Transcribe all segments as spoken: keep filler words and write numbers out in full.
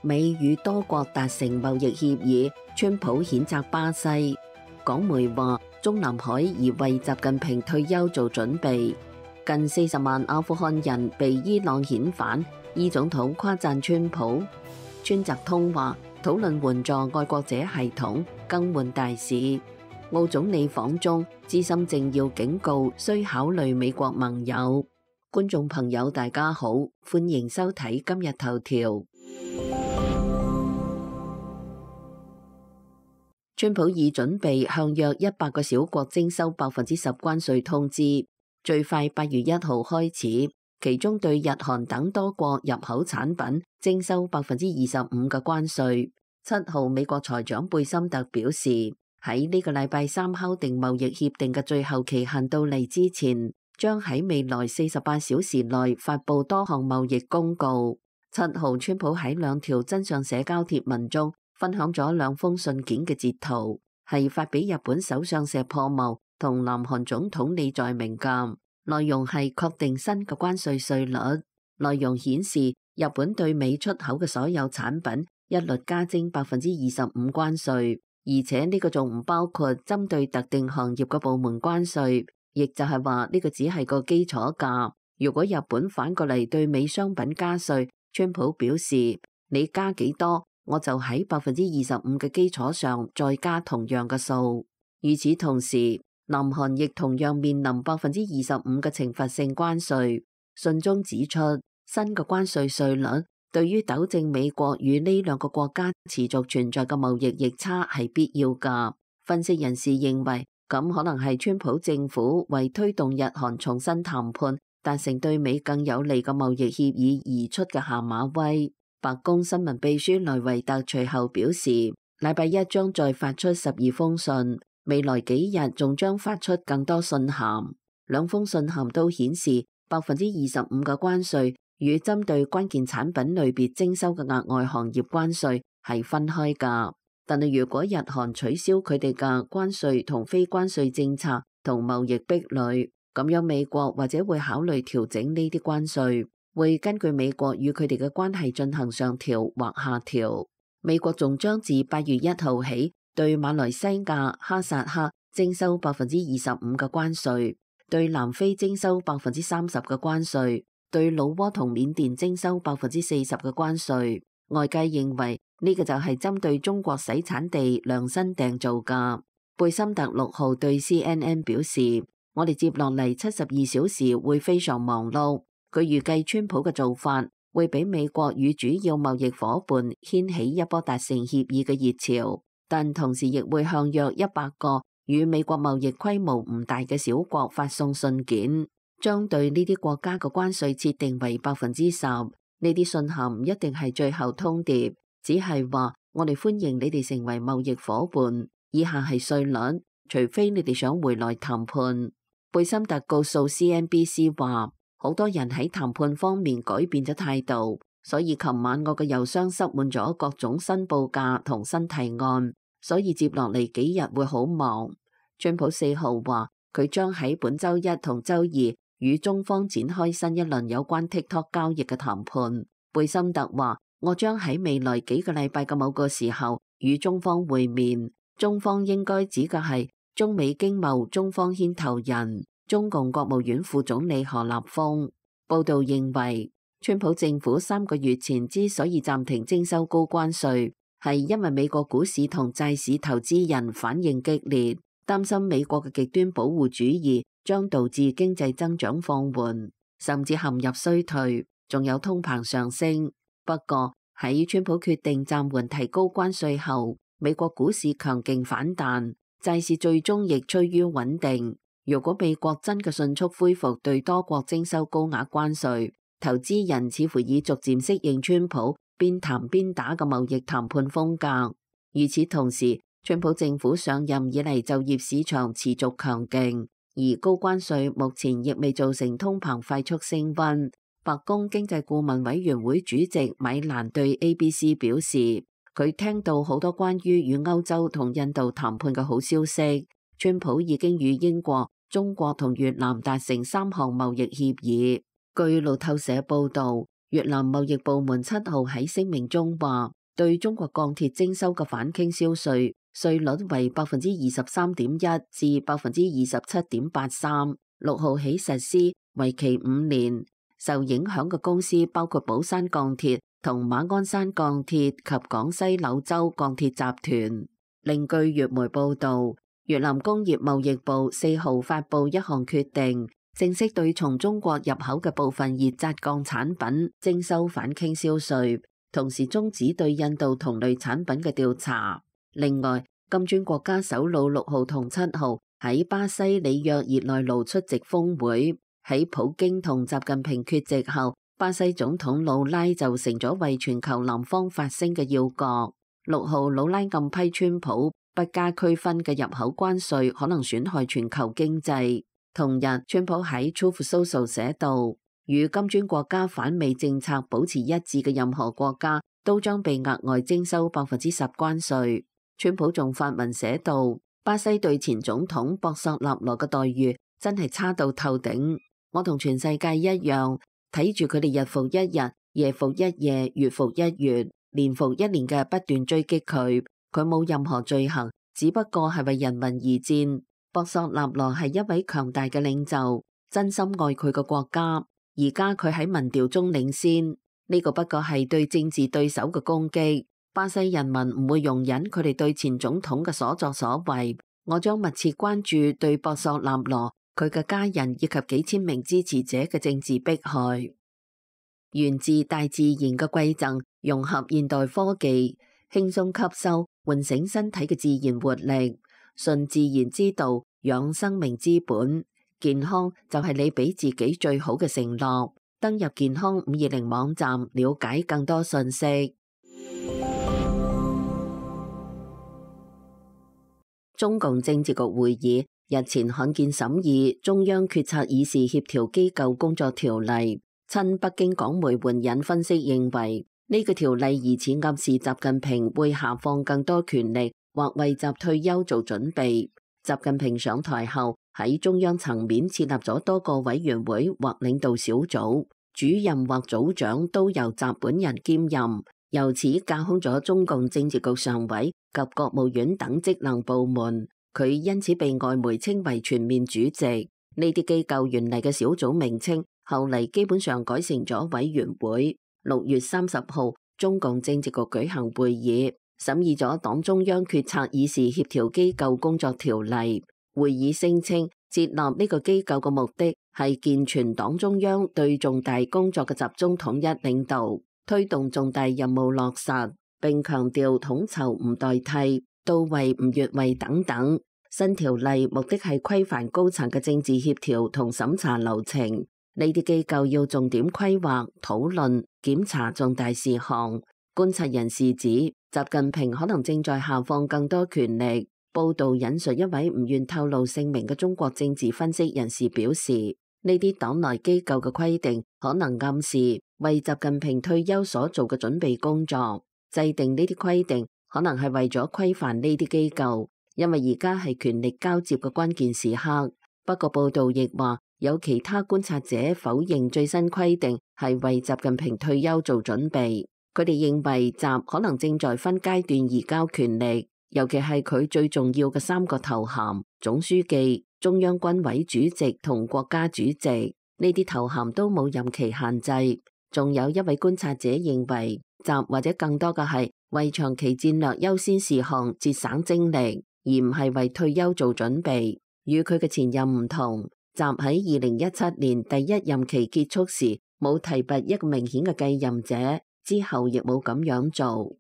美與多國達成貿易協議，川普譴責巴西。港媒話中南海已為習近平退休做準備。近四十萬阿富汗人被伊朗遣返，伊總統誇讚川普。川澤通話討論援助愛國者系統更換大使。澳總理訪中，資深政要警告需考慮美國盟友。觀眾朋友大家好，歡迎收睇今日頭條。川普已準備向約一百個小國徵收百分之十關稅通知，最快八月一號開始，其中對日韓等多國入口產品徵收百分之二十五嘅關稅。七號美國財長貝森特表示，喺呢個禮拜三敲定貿易協定嘅最後期限到嚟之前，將喺未來四十八小時內發布多項貿易公告。七號川普喺兩條真相社交貼文中分享咗兩封信件嘅截圖，係發俾日本首相石破茂同南韓總統李在明嘅，內容係確定新嘅關稅稅率。內容顯示日本對美出口嘅所有產品一律加徵百分之二十五關稅，而且呢個仲唔包括針對特定行業嘅部門關稅，亦就係話呢個只係個基礎價。如果日本反過嚟對美商品加稅，川普表示你加幾多，我就喺百分之二十五嘅基礎上再加同樣嘅數。與此同時，南韓亦同樣面臨百分之二十五嘅懲罰性關稅。信中指出，新嘅關稅稅率對於糾正美國與呢兩個國家持續存在嘅貿易逆差係必要㗎。分析人士認為，咁可能係川普政府為推動日韓重新談判，達成對美更有利嘅貿易協議而出嘅下馬威。白宮新聞秘書萊維特隨後表示，禮拜一將再發出十二封信，未來幾日仲將發出更多信函。兩封信函都顯示百分之二十五嘅關稅與針對關鍵產品類別徵收嘅額外行業關稅係分開㗎。但係如果日韓取消佢哋嘅關稅同非關稅政策同貿易壁壘，咁樣美國或者會考慮調整呢啲關稅，會根據美國與佢哋嘅關係進行上調或下調。美國仲將自八月一號起對馬來西亞、哈薩克徵收百分之二十五嘅關稅，對南非徵收百分之三十嘅關稅，對老撾同緬甸徵收百分之四十嘅關稅。外界認為呢個就係針對中國洗產地量身訂造㗎。貝森特六號對 C N N 表示，我哋接落嚟七十二小時會非常忙碌。佢預計川普嘅做法會俾美國與主要貿易夥伴掀起一波達成協議嘅熱潮，但同時亦會向約一百個與美國貿易規模唔大嘅小國發送信件，將對呢啲國家嘅關稅設定為百分之十。呢啲信函唔一定係最後通牒，只係話我哋歡迎你哋成為貿易夥伴。以下係稅率，除非你哋想回來談判。貝森特告訴 C N B C 話，好多人喺談判方面改變咗態度，所以琴晚我嘅郵箱塞滿咗各種新報價同新提案，所以接落嚟幾日會好忙。川普四號話佢將喺本周一同周二與中方展開新一輪有關 TikTok 交易嘅談判。貝森特話，我將喺未來幾個禮拜嘅某個時候與中方會面，中方應該指嘅係中美經貿中方牽頭人中共國務院副總理何立峰。報道認為，川普政府三個月前之所以暫停徵收高關稅，係因為美國股市同債市投資人反應激烈，擔心美國嘅極端保護主義將導致經濟增長放緩，甚至陷入衰退，仲有通膨上升。不過喺川普決定暫緩提高關稅後，美國股市強勁反彈，債市最終亦趨於穩定。如果美國真嘅迅速恢復對多國徵收高額關稅，投資人似乎已逐漸適應川普邊談邊打嘅貿易談判風格。與此同時，川普政府上任以嚟就業市場持續強勁，而高關稅目前亦未造成通膨快速升溫。白宮經濟顧問委員會主席米蘭對 A B C 表示，佢聽到好多關於與歐洲同印度談判嘅好消息。川普已經與英國、中國同越南達成三項貿易協議。據路透社報道，越南貿易部門七號喺聲明中話，對中國鋼鐵徵收嘅反傾銷稅稅率為百分之二十三點一至百分之二十七點八三，六號起實施，為期五年。受影響嘅公司包括寶山鋼鐵同馬鞍山鋼鐵及廣西柳州鋼鐵集團。另據越媒報導，越南工業貿易部四號發布一項決定，正式對從中國入口嘅部分熱軋鋼產品徵收反傾銷稅，同時終止對印度同類產品嘅調查。另外，金磚國家首腦六號同七號喺巴西里約熱內盧出席峰會。喺普京同習近平缺席後，巴西總統魯拉就成咗為全球南方發聲嘅要角。六號魯拉暗批川普不加區分嘅入口關稅可能損害全球經濟。同日，川普喺 Truth Social 寫道，與金磚國家反美政策保持一致嘅任何國家都將被額外徵收百分之十關稅。川普仲發文寫道，巴西對前總統博索納羅嘅待遇真係差到透頂。我同全世界一樣，睇住佢哋日復一日、夜復一夜、月復一月、年復一年嘅不斷追擊佢。佢冇任何罪行，只不過係為人民而戰。博索納羅係一位強大嘅領袖，真心愛佢嘅國家。而家佢喺民調中領先，呢、這個不過係對政治對手嘅攻擊。巴西人民唔會容忍佢哋對前總統嘅所作所為。我將密切關注對博索納羅、佢嘅家人以及幾千名支持者嘅政治迫害。源自大自然嘅饋贈，融合現代科技，輕鬆吸收，喚醒身體嘅自然活力，順自然之道，養生命之本。健康就係你俾自己最好嘅承諾。登入健康五二零網站，了解更多信息。中共政治局會議日前罕見審議中央決策議事協調機構工作條例。親北京港媒援引分析認為，呢、這個條例疑似暗示習近平會下放更多權力，或為習退休做準備。習近平上台後，喺中央層面設立咗多個委員會或領導小組，主任或組長都由習本人兼任，由此架空咗中共政治局常委及國務院等職能部門。佢因此被外媒稱為全面主席。呢啲機構原嚟嘅小組名稱，後嚟基本上改成咗委員會。六月三十號，中共政治局舉行會議，審議咗黨中央決策議事協調機構工作條例。會議聲稱，設立呢個機構嘅目的係健全黨中央對重大工作嘅集中統一領導，推動重大任務落實，並強調統籌唔代替、到位唔越位等等。新條例目的係規範高層嘅政治協調同審查流程。呢啲機構要重點規劃、討論、檢查重大事項。觀察人士指，習近平可能正在下放更多權力。報道引述一位唔願透露姓名嘅中國政治分析人士表示，呢啲黨內機構嘅規定可能暗示為習近平退休所做嘅準備工作。制定呢啲規定可能係為咗規範呢啲機構，因為而家係權力交接嘅關鍵時刻。不過報道亦話，有其他觀察者否認最新規定係為習近平退休做準備。佢哋認為習可能正在分階段移交權力，尤其係佢最重要嘅三個頭銜：總書記、中央軍委主席同國家主席。呢啲頭銜都冇任期限制。仲有一位觀察者認為，習或者更多嘅係為長期戰略優先事項節省精力，而唔係為退休做準備。與佢嘅前任唔同，習喺二零一七年第一任期結束時冇提拔一個明顯嘅繼任者，之後亦冇咁樣做。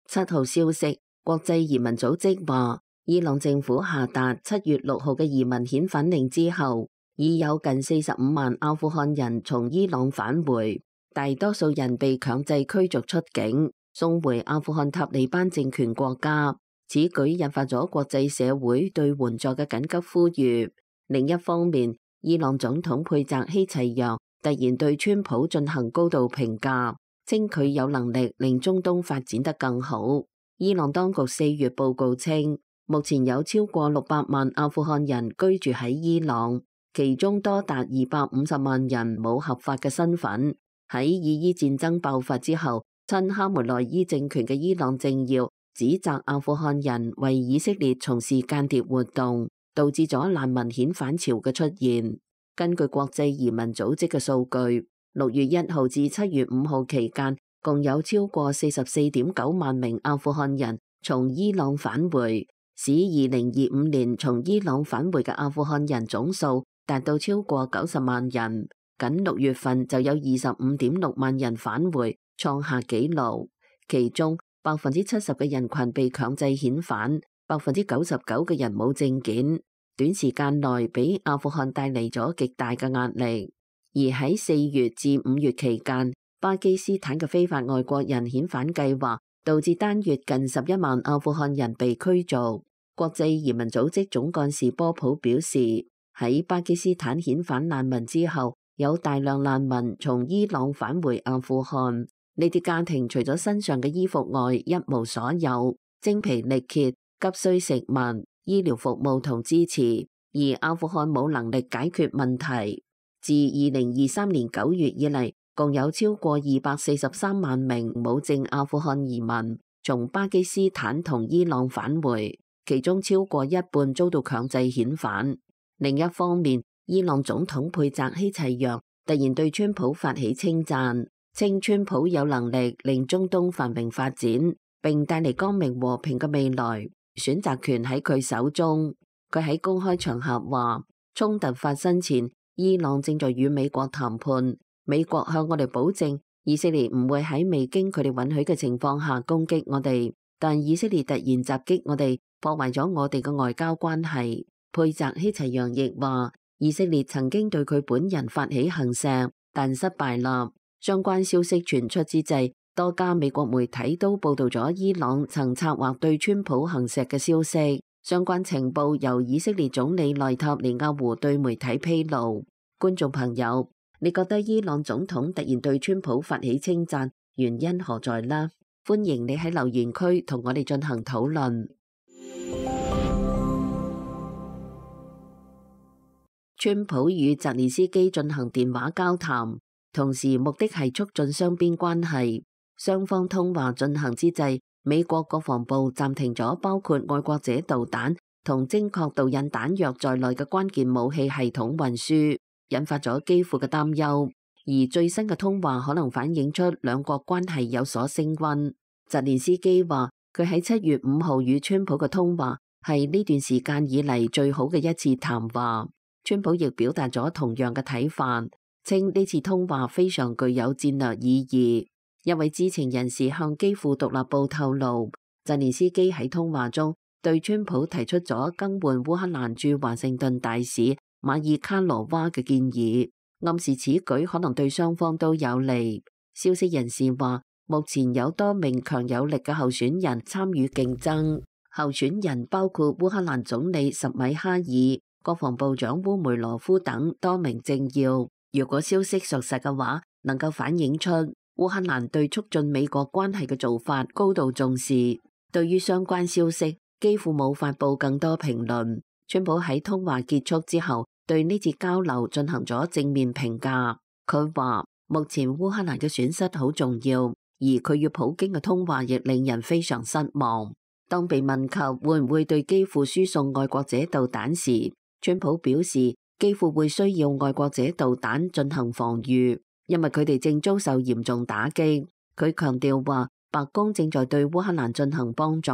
七號消息，國際移民組織話，伊朗政府下達七月六號嘅移民遣返令之後，已有近四十五萬阿富汗人從伊朗返回，大多數人被強制驅逐出境，送回阿富汗塔利班政權國家。此舉引發咗國際社會對援助嘅緊急呼籲。另一方面，伊朗總統佩澤希齊揚突然對川普進行高度評價，稱佢有能力令中東發展得更好。伊朗當局四月報告稱，目前有超過六百萬阿富汗人居住喺伊朗，其中多達二百五十萬人冇合法嘅身份。喺以伊戰爭爆發之後，親哈梅內伊政權嘅伊朗政要指責阿富汗人為以色列從事間諜活動，導致咗難民遣返潮嘅出現。根據國際移民組織嘅數據，六月一號至七月五號期間，共有超過四十四點九萬名阿富汗人從伊朗返回，使二零二五年從伊朗返回嘅阿富汗人總數達到超過九十萬人。僅六月份就有二十五點六萬人返回，創下紀錄。其中百分之七十嘅人群被強制遣返，百分之九十九嘅人冇證件，短時間內俾阿富汗帶嚟咗極大嘅壓力。而喺四月至五月期間，巴基斯坦嘅非法外國人遣返計劃導致單月近十一萬阿富汗人被驅逐。國際移民組織總幹事波普表示，喺巴基斯坦遣返難民之後，有大量難民從伊朗返回阿富汗，呢啲家庭除咗身上嘅衣服外一無所有，精疲力竭，急需食物、醫療服務同支持，而阿富汗冇能力解決問題。自二零二三年九月以嚟，共有超過二百四十三萬名冇證阿富汗移民從巴基斯坦同伊朗返回，其中超過一半遭到強制遣返。另一方面，伊朗總統佩澤希齊揚突然對川普發起稱讚，稱川普有能力令中東繁榮發展，並帶嚟光明和平嘅未來，選擇權喺佢手中。佢喺公開場合話，衝突發生前，伊朗正在與美國談判，美國向我哋保證，以色列唔會喺未經佢哋允許嘅情況下攻擊我哋，但以色列突然襲擊我哋，破壞咗我哋嘅外交關係。佩澤希齊揚亦話，以色列曾經對佢本人發起行射，但失敗啦。相關消息傳出之際，多家美國媒體都報道咗伊朗曾策劃對川普行射嘅消息。相關情報由以色列總理內塔尼亞胡對媒體披露。觀眾朋友，你覺得伊朗總統突然對川普發起稱讚，原因何在呢？歡迎你喺留言區同我哋進行討論。川普與澤連斯基進行電話交談，同時目的係促進雙邊關係。雙方通話進行之際，美國國防部暫停咗包括愛國者導彈同精確導引彈藥在內嘅關鍵武器系統運輸，引發咗基輔嘅擔憂。而最新嘅通話可能反映出兩國關係有所升溫。澤連斯基話，佢喺七月五號與川普嘅通話係呢段時間以嚟最好嘅一次談話。川普亦表達咗同樣嘅睇法，稱呢次通話非常具有戰略意義。一位知情人士向基輔獨立報透露，澤連斯基喺通話中對川普提出咗更換烏克蘭駐華盛頓大使馬爾卡羅娃嘅建議，暗示此舉可能對雙方都有利。消息人士話，目前有多名強有力嘅候選人參與競爭，候選人包括烏克蘭總理什米哈爾、國防部長烏梅羅夫等多名政要。如果消息屬實嘅話，能夠反映出烏克蘭對促進美國關係嘅做法高度重視。對於相關消息，幾乎冇發布更多評論。川普喺通話結束之後，對呢次交流進行咗正面評價。佢話目前烏克蘭嘅損失好重要，而佢與普京嘅通話亦令人非常失望。當被問及會唔會對基輔輸送愛國者導彈時，川普表示基輔會需要愛國者導彈進行防禦，因為佢哋正遭受嚴重打擊。佢強調話，白宮正在對烏克蘭進行幫助，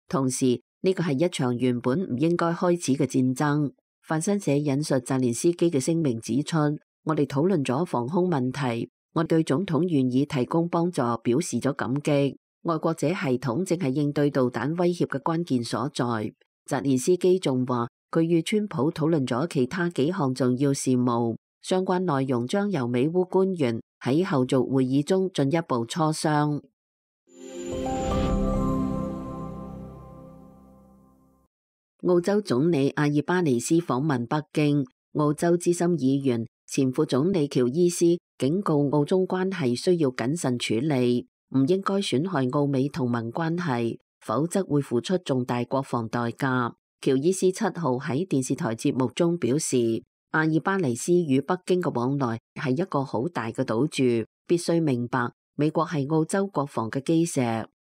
同時呢個係一場原本唔應該開始嘅戰爭。法新社引述澤連斯基嘅聲明指出，我哋討論咗防空問題，我對總統願意提供幫助表示咗感激。愛國者系統正係應對導彈威脅嘅關鍵所在。澤連斯基仲話，佢與川普討論咗其他幾項重要事務，相關內容將由美烏官員喺後續會議中進一步磋商。澳洲總理阿爾巴尼斯訪問北京，澳洲資深議員前副總理喬伊斯警告澳中關係需要謹慎處理，唔應該損害澳美同盟關係，否則會付出重大國防代價。喬伊斯七號喺電視台節目中表示，阿爾巴尼斯與北京嘅往來係一個好大嘅賭注，必須明白美國係澳洲國防嘅基石。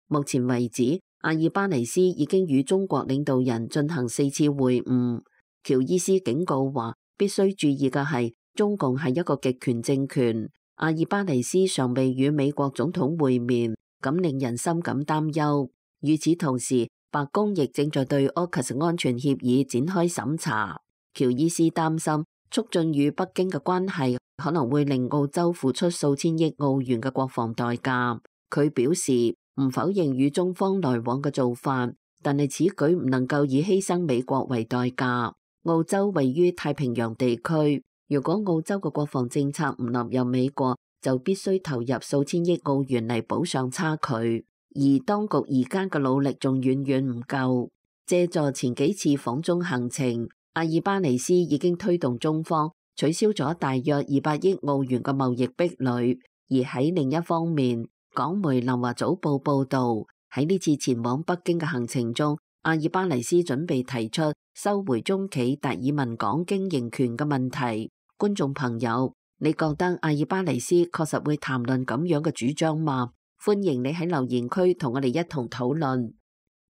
目前為止，阿爾巴尼斯已經與中國領導人進行四次會晤。喬伊斯警告話，必須注意嘅係，中共係一個極權政權。阿爾巴尼斯尚未與美國總統會面，咁令人深感擔憂。與此同時，白宮亦正在對 A U K U S 安全協議展開審查。喬伊斯擔心，促進與北京嘅關係可能會令澳洲付出數千億澳元嘅國防代價。佢表示唔否認與中方來往嘅做法，但係此舉唔能夠以犧牲美國為代價。澳洲位於太平洋地區，如果澳洲嘅國防政策唔納入美國，就必須投入數千億澳元嚟補上差距。而當局而家嘅努力仲遠遠唔夠。借助前幾次訪中行程，阿爾巴尼斯已經推動中方取消咗大約二百億澳元嘅貿易壁壘。而喺另一方面，港媒南華早報報導，喺呢次前往北京嘅行程中，阿爾巴尼斯準備提出收回中企達爾文港經營權嘅問題。觀眾朋友，你覺得阿爾巴尼斯確實會談論咁樣嘅主張嗎？歡迎你喺留言區同我哋一同討論。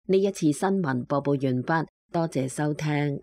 呢一次新聞播報完畢，多謝收聽。